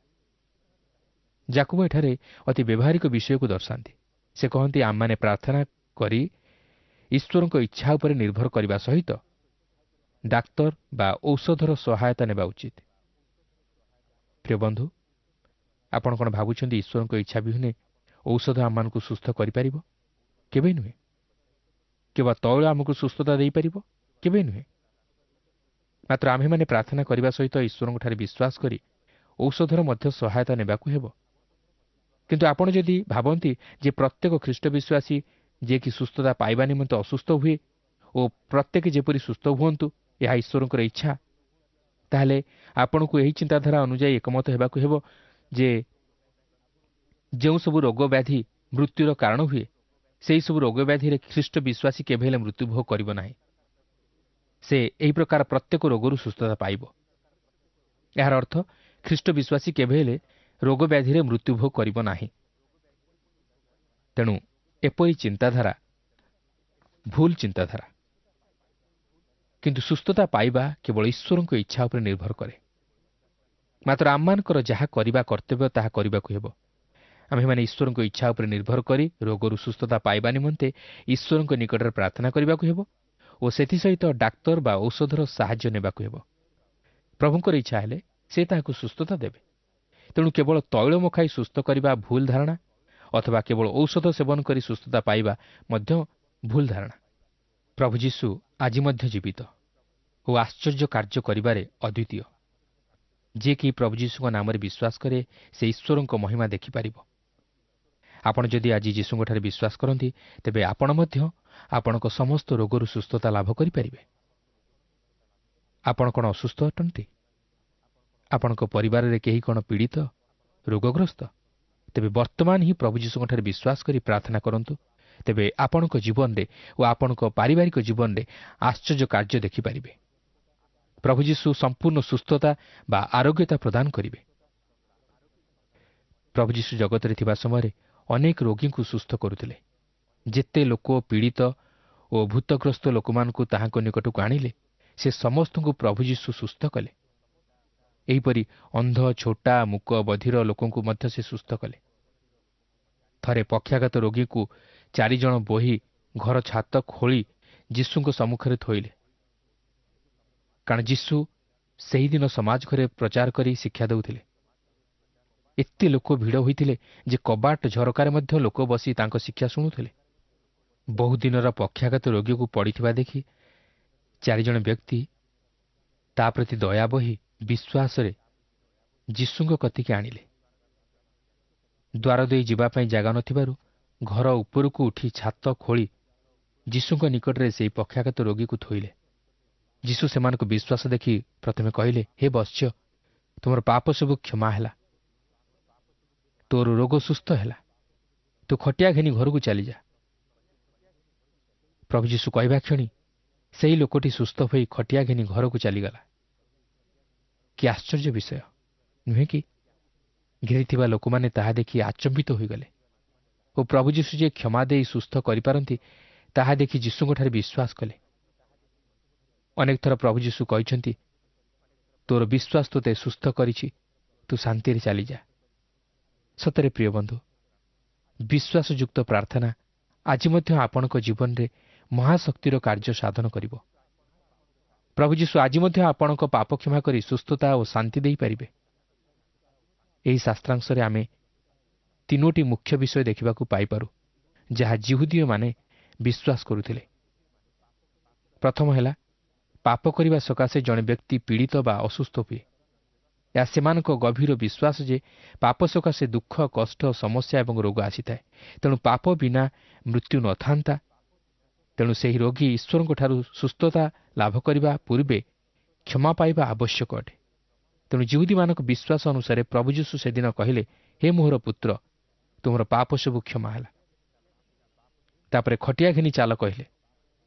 ଯାକୁବ ଏଠାରେ ଅତି ବ୍ୟବହାରିକ ବିଷୟକୁ ଦର୍ଶାନ୍ତି। ସେ କହନ୍ତି, ଆମମାନେ ପ୍ରାର୍ଥନା କରି ଈଶ୍ୱରଙ୍କ ଇଚ୍ଛା ଉପରେ ନିର୍ଭର କରିବା ସହିତ ଡାକ୍ତର ବା ଔଷଧର ସହାୟତା ନେବା ଉଚିତ। ପ୍ରିୟ ବନ୍ଧୁ, ଆପଣ କ'ଣ ଭାବୁଛନ୍ତି ଈଶ୍ୱରଙ୍କ ଇଚ୍ଛା ବିହୁନେ ଔଷଧ ଆମମାନଙ୍କୁ ସୁସ୍ଥ କରିପାରିବ? କେବେ ନୁହେଁ। କିମ୍ବା ତୈଳ ଆମକୁ ସୁସ୍ଥତା ଦେଇପାରିବ? କେବେ ନୁହେଁ। ମାତ୍ର ଆମ୍ଭେମାନେ ପ୍ରାର୍ଥନା କରିବା ସହିତ ଈଶ୍ୱରଙ୍କଠାରେ ବିଶ୍ୱାସ କରି ଔଷଧର ମଧ୍ୟ ସହାୟତା ନେବାକୁ ହେବ। କିନ୍ତୁ ଆପଣ ଯଦି ଭାବନ୍ତି ଯେ ପ୍ରତ୍ୟେକ ଖ୍ରୀଷ୍ଟ ବିଶ୍ୱାସୀ ଯିଏକି ସୁସ୍ଥତା ପାଇବା ନିମନ୍ତେ ଅସୁସ୍ଥ ହୁଏ ଓ ପ୍ରତ୍ୟେକ ଯେପରି ସୁସ୍ଥ ହୁଅନ୍ତୁ ଏହା ଈଶ୍ୱରଙ୍କର ଇଚ୍ଛା, ତାହେଲେ ଆପଣଙ୍କୁ ଏହି ଚିନ୍ତାଧାରା ଅନୁଯାୟୀ ଏକମତ ହେବାକୁ ହେବ ଯେ ଯେଉଁ ସବୁ ରୋଗ ବ୍ୟାଧି ମୃତ୍ୟୁର କାରଣ ହୁଏ, ସେହିସବୁ ରୋଗ ବ୍ୟାଧିରେ ଖ୍ରୀଷ୍ଟ ବିଶ୍ୱାସୀ କେବେ ହେଲେ ମୃତ୍ୟୁଭୋଗ କରିବ ନାହିଁ। ସେ ଏହି ପ୍ରକାର ପ୍ରତ୍ୟେକ ରୋଗରୁ ସୁସ୍ଥତା ପାଇବ। ଏହାର ଅର୍ଥ ଖ୍ରୀଷ୍ଟ ବିଶ୍ୱାସୀ କେବେ ହେଲେ ରୋଗ ବ୍ୟାଧିରେ ମୃତ୍ୟୁଭୋଗ କରିବ ନାହିଁ। ତେଣୁ ଏପରି ଚିନ୍ତାଧାରା ଭୁଲ ଚିନ୍ତାଧାରା। କିନ୍ତୁ ସୁସ୍ଥତା ପାଇବା କେବଳ ଈଶ୍ୱରଙ୍କ ଇଚ୍ଛା ଉପରେ ନିର୍ଭର କରେ। ମାତ୍ର ଆମମାନଙ୍କର ଯାହା କରିବା କର୍ତ୍ତବ୍ୟ ତାହା କରିବାକୁ ହେବ। ଆମ୍ଭେମାନେ ଈଶ୍ୱରଙ୍କ ଇଚ୍ଛା ଉପରେ ନିର୍ଭର କରି ରୋଗରୁ ସୁସ୍ଥତା ପାଇବା ନିମନ୍ତେ ଈଶ୍ୱରଙ୍କ ନିକଟରେ ପ୍ରାର୍ଥନା କରିବାକୁ ହେବ ଓ ସେଥିସହିତ ଡାକ୍ତର ବା ଔଷଧର ସାହାଯ୍ୟ ନେବାକୁ ହେବ। ପ୍ରଭୁଙ୍କର ଇଚ୍ଛା ହେଲେ ସେ ତାହାକୁ ସୁସ୍ଥତା ଦେବେ। ତେଣୁ କେବଳ ତୈଳ ମଖାଇ ସୁସ୍ଥ କରିବା ଭୁଲ ଧାରଣା, ଅଥବା କେବଳ ଔଷଧ ସେବନ କରି ସୁସ୍ଥତା ପାଇବା ମଧ୍ୟ ଭୁଲ ଧାରଣା। ପ୍ରଭୁ ଯୀଶୁ ଆଜି ମଧ୍ୟ ଜୀବିତ ଓ ଆଶ୍ଚର୍ଯ୍ୟ କାର୍ଯ୍ୟ କରିବାରେ ଅଦ୍ୱିତୀୟ। ଯିଏକି ପ୍ରଭୁ ଯୀଶୁଙ୍କ ନାମରେ ବିଶ୍ୱାସ କରେ ସେ ଈଶ୍ୱରଙ୍କ ମହିମା ଦେଖିପାରିବ। ଆପଣ ଯଦି ଆଜି ଯୀଶୁଙ୍କଠାରେ ବିଶ୍ୱାସ କରନ୍ତି, ତେବେ ଆପଣ ମଧ୍ୟ ଆପଣଙ୍କ ସମସ୍ତ ରୋଗରୁ ସୁସ୍ଥତା ଲାଭ କରିପାରିବେ। ଆପଣ କ'ଣ ଅସୁସ୍ଥ ଅଟନ୍ତି? ଆପଣଙ୍କ ପରିବାରରେ କେହି କ'ଣ ପୀଡ଼ିତ, ରୋଗଗ୍ରସ୍ତ? ତେବେ ବର୍ତ୍ତମାନ ହିଁ ପ୍ରଭୁ ଯୀଶୁଙ୍କଠାରେ ବିଶ୍ୱାସ କରି ପ୍ରାର୍ଥନା କରନ୍ତୁ। ତେବେ ଆପଣଙ୍କ ଜୀବନରେ ଓ ଆପଣଙ୍କ ପାରିବାରିକ ଜୀବନରେ ଆଶ୍ଚର୍ଯ୍ୟ କାର୍ଯ୍ୟ ଦେଖିପାରିବେ। ପ୍ରଭୁ ଯୀଶୁ ସମ୍ପୂର୍ଣ୍ଣ ସୁସ୍ଥତା ବା ଆରୋଗ୍ୟତା ପ୍ରଦାନ କରିବେ। ପ୍ରଭୁ ଯୀଶୁ ଜଗତରେ ଥିବା ସମୟରେ ଅନେକ ରୋଗୀଙ୍କୁ ସୁସ୍ଥ କରୁଥିଲେ। ଯେତେ ଲୋକ ପୀଡ଼ିତ ଓ ଭୂତଗ୍ରସ୍ତ ଲୋକମାନଙ୍କୁ ତାହାଙ୍କ ନିକଟକୁ ଆଣିଲେ, ସେ ସମସ୍ତଙ୍କୁ ପ୍ରଭୁ ଯୀଶୁ ସୁସ୍ଥ କଲେ। ଏହିପରି ଅନ୍ଧ, ଛୋଟା, ମୂକ, ବଧିର ଲୋକଙ୍କୁ ମଧ୍ୟ ସେ ସୁସ୍ଥ କଲେ। ଥରେ ପକ୍ଷାଘାତ ରୋଗୀକୁ ଚାରିଜଣ ବୋହି ଘର ଛାତ ଖୋଳି ଯୀଶୁଙ୍କ ସମ୍ମୁଖରେ ଥୋଇଲେ, କାରଣ ଯୀଶୁ ସେହିଦିନ ସମାଜ ଘରେ ପ୍ରଚାର କରି ଶିକ୍ଷା ଦେଉଥିଲେ। ଏତେ ଲୋକ ଭିଡ଼ ହୋଇଥିଲେ ଯେ କବାଟ ଝରକାରେ ମଧ୍ୟ ଲୋକ ବସି ତାଙ୍କ ଶିକ୍ଷା ଶୁଣୁଥିଲେ। ବହୁଦିନର ପକ୍ଷାଘାତ ରୋଗୀକୁ ପଡ଼ିଥିବା ଦେଖି ଚାରିଜଣ ବ୍ୟକ୍ତି ତା ପ୍ରତି ଦୟା ବହି ବିଶ୍ୱାସରେ ଯୀଶୁଙ୍କ କତିକି ଆଣିଲେ। ଦ୍ୱାର ଦେଇ ଯିବା ପାଇଁ ଜାଗା ନଥିବାରୁ ଘର ଉପରକୁ ଉଠି ଛାତ ଖୋଳି ଯୀଶୁଙ୍କ ନିକଟରେ ସେହି ପକ୍ଷାଘାତ ରୋଗୀକୁ ଥୋଇଲେ। ଯୀଶୁ ସେମାନଙ୍କୁ ବିଶ୍ୱାସ ଦେଖି ପ୍ରଥମେ କହିଲେ, ହେ ବତ୍ସ, ତୁମର ପାପ ସବୁ କ୍ଷମା ହେଲା, ତୋର ରୋଗ ସୁସ୍ଥ ହେଲା, ତୁ ଖଟିଆ ଘେନି ଘରକୁ ଚାଲିଯା। ପ୍ରଭୁ ଯୀଶୁ କହିବା କ୍ଷଣି ସେହି ଲୋକଟି ସୁସ୍ଥ ହୋଇ ଖଟିଆ ଘେନି ଘରକୁ ଚାଲିଗଲା। କି ଆଶ୍ଚର୍ଯ୍ୟ ବିଷୟ ନୁହେଁ କି? ଘେରିଥିବା ଲୋକମାନେ ତାହା ଦେଖି ଆଚମ୍ବିତ ହୋଇଗଲେ। ଓ ପ୍ରଭୁ ଯୀଶୁ ଯେ କ୍ଷମା ଦେଇ ସୁସ୍ଥ କରିପାରନ୍ତି ତାହା ଦେଖି ଯୀଶୁଙ୍କଠାରେ ବିଶ୍ୱାସ କଲେ। ଅନେକ ଥର ପ୍ରଭୁ ଯୀଶୁ କହିଛନ୍ତି, ତୋର ବିଶ୍ୱାସ ତୋତେ ସୁସ୍ଥ କରିଛି, ତୁ ଶାନ୍ତିରେ ଚାଲିଯା। ସତରେ ପ୍ରିୟ ବନ୍ଧୁ, ବିଶ୍ୱାସଯୁକ୍ତ ପ୍ରାର୍ଥନା ଆଜି ମଧ୍ୟ ଆପଣଙ୍କ ଜୀବନରେ ମହାଶକ୍ତିର କାର୍ଯ୍ୟ ସାଧନ କରିବ। ପ୍ରଭୁ ଯୀଶୁ ଆଜି ମଧ୍ୟ ଆପଣଙ୍କ ପାପ କ୍ଷମା କରି ସୁସ୍ଥତା ଓ ଶାନ୍ତି ଦେଇପାରିବେ। ଏହି ଶାସ୍ତ୍ରାଂଶରେ ଆମେ ତିନୋଟି ମୁଖ୍ୟ ବିଷୟ ଦେଖିବାକୁ ପାଇପାରୁ, ଯାହା ଯିହୁଦୀୟମାନେ ବିଶ୍ୱାସ କରୁଥିଲେ। ପ୍ରଥମ ହେଲା, ପାପ କରିବା ସକାଶେ ଜଣେ ବ୍ୟକ୍ତି ପୀଡ଼ିତ ବା ଅସୁସ୍ଥ ହୁଏ। ଏହା ସେମାନଙ୍କ ଗଭୀର ବିଶ୍ୱାସ ଯେ ପାପ ସକାଶେ ଦୁଃଖ, କଷ୍ଟ, ସମସ୍ୟା ଏବଂ ରୋଗ ଆସିଥାଏ। ତେଣୁ ପାପ ବିନା ମୃତ୍ୟୁ ନଥାନ୍ତା। ତେଣୁ ସେହି ରୋଗୀ ଈଶ୍ୱରଙ୍କଠାରୁ ସୁସ୍ଥତା ଲାଭ କରିବା ପୂର୍ବେ କ୍ଷମା ପାଇବା ଆବଶ୍ୟକ ଅଟେ। ତେଣୁ ଯିହୁଦୀମାନଙ୍କ ବିଶ୍ୱାସ ଅନୁସାରେ ପ୍ରଭୁ ଯୀଶୁ ସେଦିନ କହିଲେ, ହେ ମୋହର ପୁତ୍ର, ତୁମର ପାପ ସବୁ କ୍ଷମା ହେଲା। ତାପରେ ଖଟିଆ ଘେନି ଚାଲ କହିଲେ।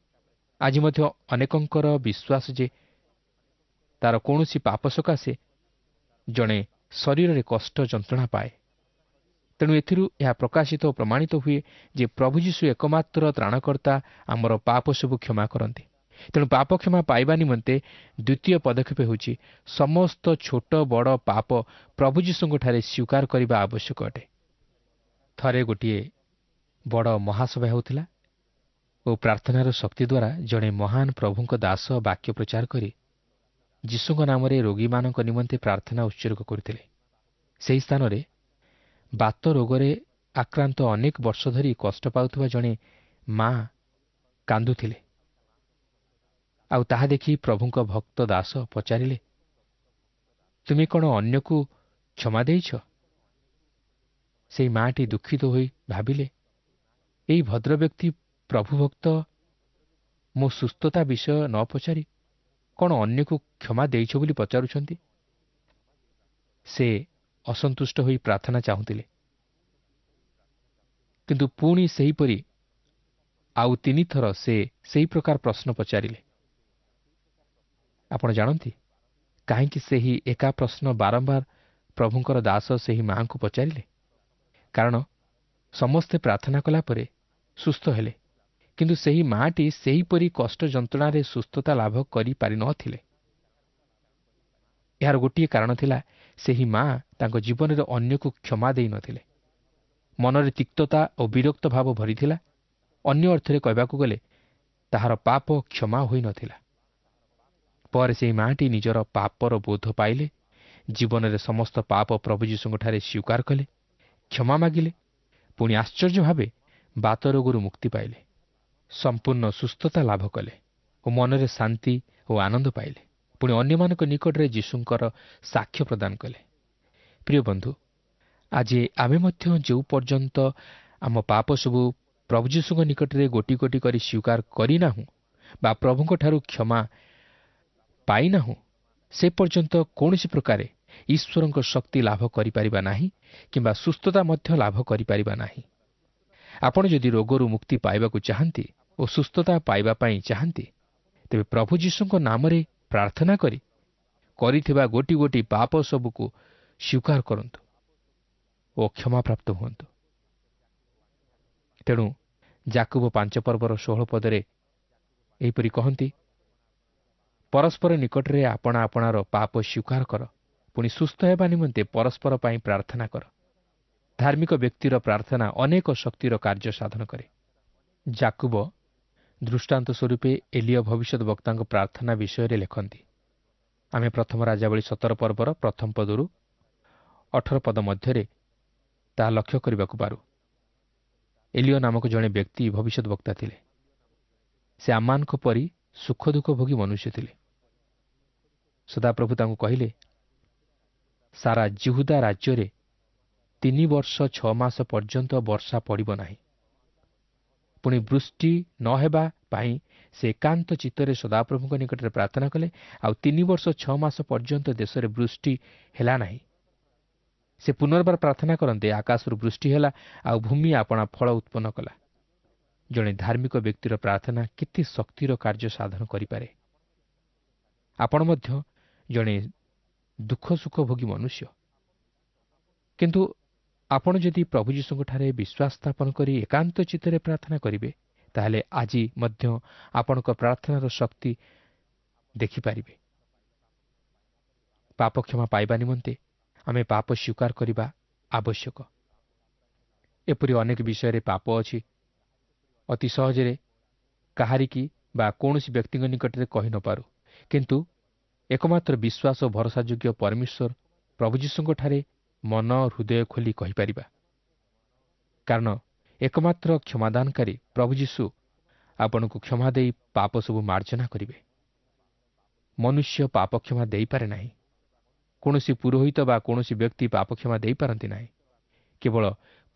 ଆଜି ମଧ୍ୟ ଅନେକଙ୍କର ବିଶ୍ୱାସ ଯେ ତାର କୌଣସି ପାପ ସକାଶେ ଜଣେ ଶରୀରରେ କଷ୍ଟ ଯନ୍ତ୍ରଣା ପାଏ। ତେଣୁ ଏଥିରୁ ଏହା ପ୍ରକାଶିତ ଓ ପ୍ରମାଣିତ ହୁଏ ଯେ ପ୍ରଭୁ ଯୀଶୁ ଏକମାତ୍ର ତ୍ରାଣକର୍ତ୍ତା, ଆମର ପାପ ସବୁ କ୍ଷମା କରନ୍ତି। ତେଣୁ ପାପ କ୍ଷମା ପାଇବା ନିମନ୍ତେ ଦ୍ୱିତୀୟ ପଦକ୍ଷେପ ହେଉଛି ସମସ୍ତ ଛୋଟ ବଡ଼ ପାପ ପ୍ରଭୁ ଯୀଶୁଙ୍କଠାରେ ସ୍ୱୀକାର କରିବା ଆବଶ୍ୟକ ଅଟେ। ଥରେ ଗୋଟିଏ ବଡ଼ ମହାସଭା ହେଉଥିଲା ଓ ପ୍ରାର୍ଥନାର ଶକ୍ତି ଦ୍ୱାରା ଜଣେ ମହାନ ପ୍ରଭୁଙ୍କ ଦାସ ବାକ୍ୟ ପ୍ରଚାର କରି ଯୀଶୁଙ୍କ ନାମରେ ରୋଗୀମାନଙ୍କ ନିମନ୍ତେ ପ୍ରାର୍ଥନା ଉତ୍ସର୍ଗ କରୁଥିଲେ। ସେହି ସ୍ଥାନରେ ବାତ ରୋଗରେ ଆକ୍ରାନ୍ତ ଅନେକ ବର୍ଷ ଧରି କଷ୍ଟ ପାଉଥିବା ଜଣେ ମା କାନ୍ଦୁଥିଲେ। ଆଉ ତାହା ଦେଖି ପ୍ରଭୁଙ୍କ ଭକ୍ତ ଦାସ ପଚାରିଲେ, ତୁମେ କ'ଣ ଅନ୍ୟକୁ କ୍ଷମା ଦେଇଛ? ସେଇ ମାଟି ଦୁଃଖିତ ହୋଇ ଭାବିଲେ, ଏହି ଭଦ୍ରବ୍ୟକ୍ତି ପ୍ରଭୁଭକ୍ତ ମୋ ସୁସ୍ଥତା ବିଷୟ ନ ପଚାରି କ'ଣ ଅନ୍ୟକୁ କ୍ଷମା ଦେଇଛ ବୋଲି ପଚାରୁଛନ୍ତି? ସେ ଅସନ୍ତୁଷ୍ଟ ହୋଇ ପ୍ରାର୍ଥନା ଚାହୁଁଥିଲେ, କିନ୍ତୁ ପୁଣି ସେହିପରି ଆଉ ତିନିଥର ସେ ସେହି ପ୍ରକାର ପ୍ରଶ୍ନ ପଚାରିଲେ। ଆପଣ ଜାଣନ୍ତି କାହିଁକି ସେହି ଏକା ପ୍ରଶ୍ନ ବାରମ୍ବାର ପ୍ରଭୁଙ୍କର ଦାସ ସେହି ମାଆଙ୍କୁ ପଚାରିଲେ? କାରଣ ସମସ୍ତେ ପ୍ରାର୍ଥନା କଲା ପରେ ସୁସ୍ଥ ହେଲେ, କିନ୍ତୁ ସେହି ମାଆଟି ସେହିପରି କଷ୍ଟ ଯନ୍ତ୍ରଣାରେ ସୁସ୍ଥତା ଲାଭ କରିପାରିନଥିଲେ। ଏହାର ଗୋଟିଏ କାରଣ ଥିଲା, ସେହି ମା ତାଙ୍କ ଜୀବନରେ ଅନ୍ୟକୁ କ୍ଷମା ଦେଇନଥିଲେ। ମନରେ ତିକ୍ତତା ଓ ବିରକ୍ତ ଭାବ ଭରିଥିଲା। ଅନ୍ୟ ଅର୍ଥରେ କହିବାକୁ ଗଲେ ତାହାର ପାପ କ୍ଷମା ହୋଇନଥିଲା। ପରେ ସେହି ମାଆଟି ନିଜର ପାପର ବୋଧ ପାଇଲେ, ଜୀବନରେ ସମସ୍ତ ପାପ ପ୍ରଭୁ ଯୀଶୁଙ୍କଠାରେ ସ୍ୱୀକାର କଲେ, କ୍ଷମା ମାଗିଲେ, ପୁଣି ଆଶ୍ଚର୍ଯ୍ୟ ଭାବେ ବାତ ରୋଗରୁ ମୁକ୍ତି ପାଇଲେ, ସମ୍ପୂର୍ଣ୍ଣ ସୁସ୍ଥତା ଲାଭ କଲେ ଓ ମନରେ ଶାନ୍ତି ଓ ଆନନ୍ଦ ପାଇଲେ। ପୁଣି ଅନ୍ୟମାନଙ୍କ ନିକଟରେ ଯୀଶୁଙ୍କର ସାକ୍ଷ୍ୟ ପ୍ରଦାନ କଲେ। ପ୍ରିୟ ବନ୍ଧୁ, ଆଜି ଆମେ ମଧ୍ୟ ଯେଉଁ ପର୍ଯ୍ୟନ୍ତ ଆମ ପାପ ସବୁ ପ୍ରଭୁ ଯୀଶୁଙ୍କ ନିକଟରେ ଗୋଟି ଗୋଟି କରି ସ୍ୱୀକାର କରିନାହୁଁ ବା ପ୍ରଭୁଙ୍କଠାରୁ କ୍ଷମା ପାଇନାହୁଁ, ସେ ପର୍ଯ୍ୟନ୍ତ କୌଣସି ପ୍ରକାରେ ଈଶ୍ୱରଙ୍କ ଶକ୍ତି ଲାଭ କରିପାରିବା ନାହିଁ କିମ୍ବା ସୁସ୍ଥତା ମଧ୍ୟ ଲାଭ କରିପାରିବା ନାହିଁ। ଆପଣ ଯଦି ରୋଗରୁ ମୁକ୍ତି ପାଇବାକୁ ଚାହାନ୍ତି ଓ ସୁସ୍ଥତା ପାଇବା ପାଇଁ ଚାହାନ୍ତି, ତେବେ ପ୍ରଭୁ ଯୀଶୁଙ୍କ ନାମରେ ପ୍ରାର୍ଥନା କରି କରିଥିବା ଗୋଟି ଗୋଟି ପାପ ସବୁକୁ ସ୍ୱୀକାର କରନ୍ତୁ ଓ କ୍ଷମାପ୍ରାପ୍ତ ହୁଅନ୍ତୁ। ତେଣୁ ଯାକୁବ ପାଞ୍ଚ ପର୍ବର ଷୋହଳ ପଦରେ ଏହିପରି କହନ୍ତି, ପରସ୍ପର ନିକଟରେ ଆପଣା ଆପଣାର ପାପ ସ୍ୱୀକାର କର, ପୁଣି ସୁସ୍ଥ ହେବା ନିମନ୍ତେ ପରସ୍ପର ପାଇଁ ପ୍ରାର୍ଥନା କର। ଧାର୍ମିକ ବ୍ୟକ୍ତିର ପ୍ରାର୍ଥନା ଅନେକ ଶକ୍ତିର କାର୍ଯ୍ୟ ସାଧନ କରେ। ଯାକୁବ ଦୃଷ୍ଟାନ୍ତ ସ୍ୱରୂପେ ଏଲିୟ ଭବିଷ୍ୟତ ବକ୍ତାଙ୍କ ପ୍ରାର୍ଥନା ବିଷୟରେ ଲେଖନ୍ତି। ଆମେ ପ୍ରଥମ ରାଜାବଳୀ ସତର ପର୍ବର ପ୍ରଥମ ପଦରୁ ଅଠର ପଦ ମଧ୍ୟରେ ତାହା ଲକ୍ଷ୍ୟ କରିବାକୁ ପାରୁ। ଏଲିୟ ନାମକ ଜଣେ ବ୍ୟକ୍ତି ଭବିଷ୍ୟତ ବକ୍ତା ଥିଲେ। ସେ ଆମମାନଙ୍କ ପରି ସୁଖ ଦୁଃଖ ଭୋଗୀ ମନୁଷ୍ୟ ଥିଲେ। ସଦାପ୍ରଭୁ ତାଙ୍କୁ କହିଲେ, ସାରା ଯିହୁଦା ରାଜ୍ୟରେ ତିନି ବର୍ଷ ଛଅ ମାସ ପର୍ଯ୍ୟନ୍ତ ବର୍ଷା ପଡ଼ିବ ନାହିଁ। ପୁଣି ବୃଷ୍ଟି ନ ହେବା ପାଇଁ ସେ ଏକାନ୍ତ ଚିତ୍ତରେ ସଦାପ୍ରଭୁଙ୍କ ନିକଟରେ ପ୍ରାର୍ଥନା କଲେ। ଆଉ ତିନି ବର୍ଷ ଛଅ ମାସ ପର୍ଯ୍ୟନ୍ତ ଦେଶରେ ବୃଷ୍ଟି ହେଲା ନାହିଁ। ସେ ପୁନର୍ବାର ପ୍ରାର୍ଥନା କରନ୍ତେ ଆକାଶରୁ ବୃଷ୍ଟି ହେଲା, ଆଉ ଭୂମି ଆପଣା ଫଳ ଉତ୍ପନ୍ନ କଲା। ଜଣେ ଧାର୍ମିକ ବ୍ୟକ୍ତିର ପ୍ରାର୍ଥନା କେତେ ଶକ୍ତିର କାର୍ଯ୍ୟ ସାଧନ କରିପାରେ। ଆପଣ ମଧ୍ୟ ଜଣେ ଦୁଃଖ ସୁଖ ଭୋଗୀ ମନୁଷ୍ୟ, କିନ୍ତୁ ଆପଣ ଯଦି ପ୍ରଭୁ ଯୀଶୁଙ୍କଠାରେ ବିଶ୍ୱାସ ସ୍ଥାପନ କରି ଏକାନ୍ତ ଚିତ୍ତରେ ପ୍ରାର୍ଥନା କରିବେ, ତାହେଲେ ଆଜି ମଧ୍ୟ ଆପଣଙ୍କ ପ୍ରାର୍ଥନାର ଶକ୍ତି ଦେଖିପାରିବେ। ପାପ କ୍ଷମା ପାଇବା ନିମନ୍ତେ ଆମେ ପାପ ସ୍ୱୀକାର କରିବା ଆବଶ୍ୟକ। ଏପରି ଅନେକ ବିଷୟରେ ପାପ ଅଛି, ଅତି ସହଜରେ କାହାରିକି ବା କୌଣସି ବ୍ୟକ୍ତିଙ୍କ ନିକଟରେ କହି ନପାରୁ, କିନ୍ତୁ ଏକମାତ୍ର ବିଶ୍ୱାସ ଓ ଭରସାଯୋଗ୍ୟ ପରମେଶ୍ୱର ପ୍ରଭୁ ଯୀଶୁଙ୍କଠାରେ ମନ ହୃଦୟ ଖୋଲି କହିପାରିବା। କାରଣ ଏକମାତ୍ର କ୍ଷମାଦାନକାରୀ ପ୍ରଭୁ ଯୀଶୁ ଆପଣଙ୍କୁ କ୍ଷମା ଦେଇ ପାପ ସବୁ ମାର୍ଜନା କରିବେ। ମନୁଷ୍ୟ ପାପ କ୍ଷମା ଦେଇପାରେ ନାହିଁ। କୌଣସି ପୁରୋହିତ ବା କୌଣସି ବ୍ୟକ୍ତି ପାପ କ୍ଷମା ଦେଇପାରନ୍ତି ନାହିଁ। କେବଳ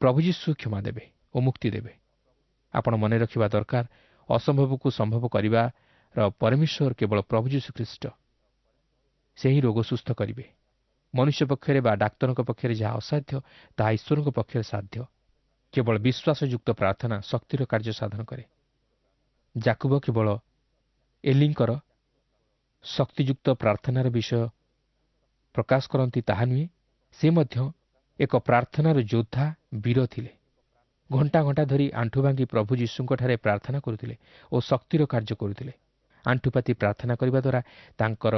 ପ୍ରଭୁ ଯୀଶୁ କ୍ଷମା ଦେବେ ଓ ମୁକ୍ତି ଦେବେ। ଆପଣ ମନେ ରଖିବା ଦରକାର, ଅସମ୍ଭବକୁ ସମ୍ଭବ କରିବାର ପରମେଶ୍ୱର କେବଳ ପ୍ରଭୁ ଯୀଶୁ ଖ୍ରୀଷ୍ଟ। ସେ ହିଁ ରୋଗ ସୁସ୍ଥ କରିବେ। ମନୁଷ୍ୟ ପକ୍ଷରେ ବା ଡାକ୍ତରଙ୍କ ପକ୍ଷରେ ଯାହା ଅସାଧ୍ୟ, ତାହା ଈଶ୍ୱରଙ୍କ ପକ୍ଷରେ ସାଧ୍ୟ। କେବଳ ବିଶ୍ୱାସଯୁକ୍ତ ପ୍ରାର୍ଥନା ଶକ୍ତିର କାର୍ଯ୍ୟ ସାଧନ କରେ। ଯାକୁବ କେବଳ ଏଲିଙ୍କର ଶକ୍ତିଯୁକ୍ତ ପ୍ରାର୍ଥନାର ବିଷୟ ପ୍ରକାଶ କରନ୍ତି ତାହା ନୁହେଁ, ସେ ମଧ୍ୟ ଏକ ପ୍ରାର୍ଥନାର ଯୋଦ୍ଧା ବୀର ଥିଲେ। ଘଣ୍ଟା ଘଣ୍ଟା ଧରି ଆଣ୍ଠୁ ଭାଙ୍ଗି ପ୍ରଭୁ ଯୀଶୁଙ୍କଠାରେ ପ୍ରାର୍ଥନା କରୁଥିଲେ ଓ ଶକ୍ତିର କାର୍ଯ୍ୟ କରୁଥିଲେ। ଆଣ୍ଠୁପାତି ପ୍ରାର୍ଥନା କରିବା ଦ୍ୱାରା ତାଙ୍କର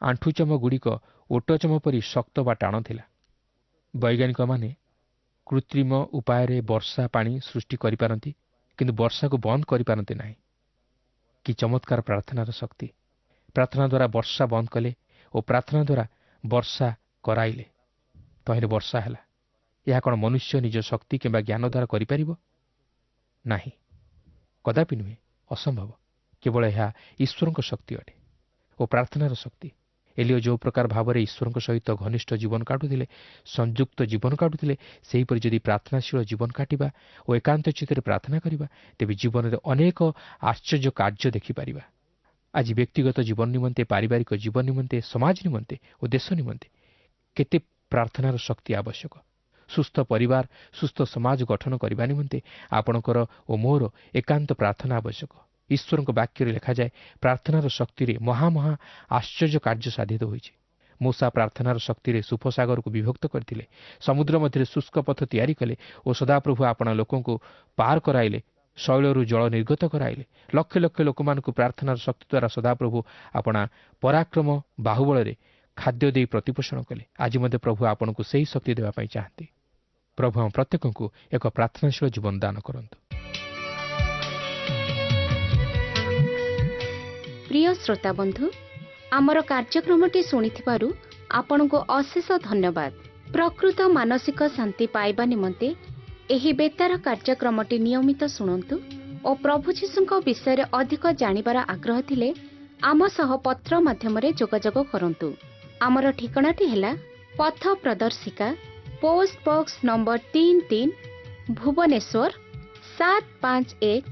ଆଣ୍ଠୁଚମଗୁଡ଼ିକ ଓଟଚମ ପରି ଶକ୍ତ ବା ଟାଣ ଥିଲା। ବୈଜ୍ଞାନିକମାନେ କୃତ୍ରିମ ଉପାୟରେ ବର୍ଷା ପାଣି ସୃଷ୍ଟି କରିପାରନ୍ତି, କିନ୍ତୁ ବର୍ଷାକୁ ବନ୍ଦ କରିପାରନ୍ତି ନାହିଁ। କି ଚମତ୍କାର ପ୍ରାର୍ଥନାର ଶକ୍ତି! ପ୍ରାର୍ଥନା ଦ୍ୱାରା ବର୍ଷା ବନ୍ଦ କଲେ ଓ ପ୍ରାର୍ଥନା ଦ୍ୱାରା ବର୍ଷା କରାଇଲେ, ତହିଁରେ ବର୍ଷା ହେଲା। ଏହା କ'ଣ ମନୁଷ୍ୟ ନିଜ ଶକ୍ତି କିମ୍ବା ଜ୍ଞାନ ଦ୍ୱାରା କରିପାରିବ? ନାହିଁ, କଦାପି ନୁହେଁ, ଅସମ୍ଭବ। କେବଳ ଏହା ଈଶ୍ୱରଙ୍କ ଶକ୍ତି ଅଟେ ଓ ପ୍ରାର୍ଥନାର ଶକ୍ତି। ଏଲିୟ ଯେଉଁ ପ୍ରକାର ଭାବରେ ଈଶ୍ୱରଙ୍କ ସହିତ ଘନିଷ୍ଠ ଜୀବନ କାଟୁଥିଲେ, ସଂଯୁକ୍ତ ଜୀବନ କାଟୁଥିଲେ, ସେହିପରି ଯଦି ପ୍ରାର୍ଥନାଶୀଳ ଜୀବନ କାଟିବା ଓ ଏକାନ୍ତ ଚିତ୍ତରେ ପ୍ରାର୍ଥନା କରିବା, ତେବେ ଜୀବନରେ ଅନେକ ଆଶ୍ଚର୍ଯ୍ୟ କାର୍ଯ୍ୟ ଦେଖିପାରିବା। ଆଜି ବ୍ୟକ୍ତିଗତ ଜୀବନ ନିମନ୍ତେ, ପାରିବାରିକ ଜୀବନ ନିମନ୍ତେ, ସମାଜ ନିମନ୍ତେ ଓ ଦେଶ ନିମନ୍ତେ କେତେ ପ୍ରାର୍ଥନାର ଶକ୍ତି ଆବଶ୍ୟକ। ସୁସ୍ଥ ପରିବାର, ସୁସ୍ଥ ସମାଜ ଗଠନ କରିବା ନିମନ୍ତେ ଆପଣଙ୍କର ଓ ମୋର ଏକାନ୍ତ ପ୍ରାର୍ଥନା ଆବଶ୍ୟକ। ଈଶ୍ୱରଙ୍କ ବାକ୍ୟରେ ଲେଖାଯାଏ, ପ୍ରାର୍ଥନାର ଶକ୍ତିରେ ମହାମହା ଆଶ୍ଚର୍ଯ୍ୟ କାର୍ଯ୍ୟ ସାଧିତ ହୋଇଛି। ମୂଷା ପ୍ରାର୍ଥନାର ଶକ୍ତିରେ ସୁଫସାଗରକୁ ବିଭକ୍ତ କରିଥିଲେ, ସମୁଦ୍ର ମଧ୍ୟରେ ଶୁଷ୍କ ପଥ ତିଆରି କଲେ ଓ ସଦାପ୍ରଭୁ ଆପଣା ଲୋକଙ୍କୁ ପାର କରାଇଲେ, ଶୈଳରୁ ଜଳ ନିର୍ଗତ କରାଇଲେ। ଲକ୍ଷ ଲକ୍ଷ ଲୋକମାନଙ୍କୁ ପ୍ରାର୍ଥନାର ଶକ୍ତି ଦ୍ୱାରା ସଦାପ୍ରଭୁ ଆପଣା ପରାକ୍ରମ ବାହୁବଳରେ ଖାଦ୍ୟ ଦେଇ ପ୍ରତିପୋଷଣ କଲେ। ଆଜି ମଧ୍ୟ ପ୍ରଭୁ ଆପଣଙ୍କୁ ସେହି ଶକ୍ତି ଦେବା ପାଇଁ ଚାହାନ୍ତି। ପ୍ରଭୁ ଆମ ପ୍ରତ୍ୟେକଙ୍କୁ ଏକ ପ୍ରାର୍ଥନାଶୀଳ ଜୀବନ ଦାନ କରନ୍ତୁ। ପ୍ରିୟ ଶ୍ରୋତା ବନ୍ଧୁ, ଆମର କାର୍ଯ୍ୟକ୍ରମଟି ଶୁଣିଥିବାରୁ ଆପଣଙ୍କୁ ଅଶେଷ ଧନ୍ୟବାଦ। ପ୍ରକୃତ ମାନସିକ ଶାନ୍ତି ପାଇବା ନିମନ୍ତେ ଏହି ବେତାର କାର୍ଯ୍ୟକ୍ରମଟି ନିୟମିତ ଶୁଣନ୍ତୁ ଓ ପ୍ରଭୁ ଯୀଶୁଙ୍କ ବିଷୟରେ ଅଧିକ ଜାଣିବାର ଆଗ୍ରହ ଥିଲେ ଆମ ସହ ପତ୍ର ମାଧ୍ୟମରେ ଯୋଗାଯୋଗ କରନ୍ତୁ। ଆମର ଠିକଣାଟି ହେଲା ପଥ ପ୍ରଦର୍ଶିକା, ପୋଷ୍ଟ ବକ୍ସ ନମ୍ବର ତିନି ତିନି, ଭୁବନେଶ୍ୱର ସାତ ପାଞ୍ଚ ଏକ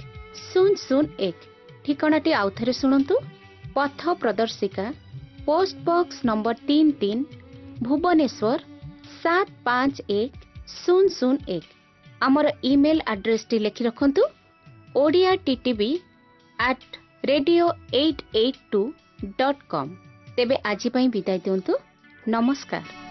ଶୂନ ଶୂନ ଏକ। ଠିକଣାଟି ଆଉଥରେ ଶୁଣନ୍ତୁ, ପଥ ପ୍ରଦର୍ଶିକା, ପୋଷ୍ଟ ବକ୍ସ ନମ୍ବର ତିନି ତିନି, ଭୁବନେଶ୍ୱର ସାତ ପାଞ୍ଚ ଏକ ଶୂନ ଶୂନ ଏକ। ଆମର ଇମେଲ୍ ଆଡ୍ରେସଟି ଲେଖି ରଖନ୍ତୁ, Odia TTV at radio eight eight two dot com. ତେବେ ଆଜି ପାଇଁ ବିଦାୟ ଦିଅନ୍ତୁ, ନମସ୍କାର।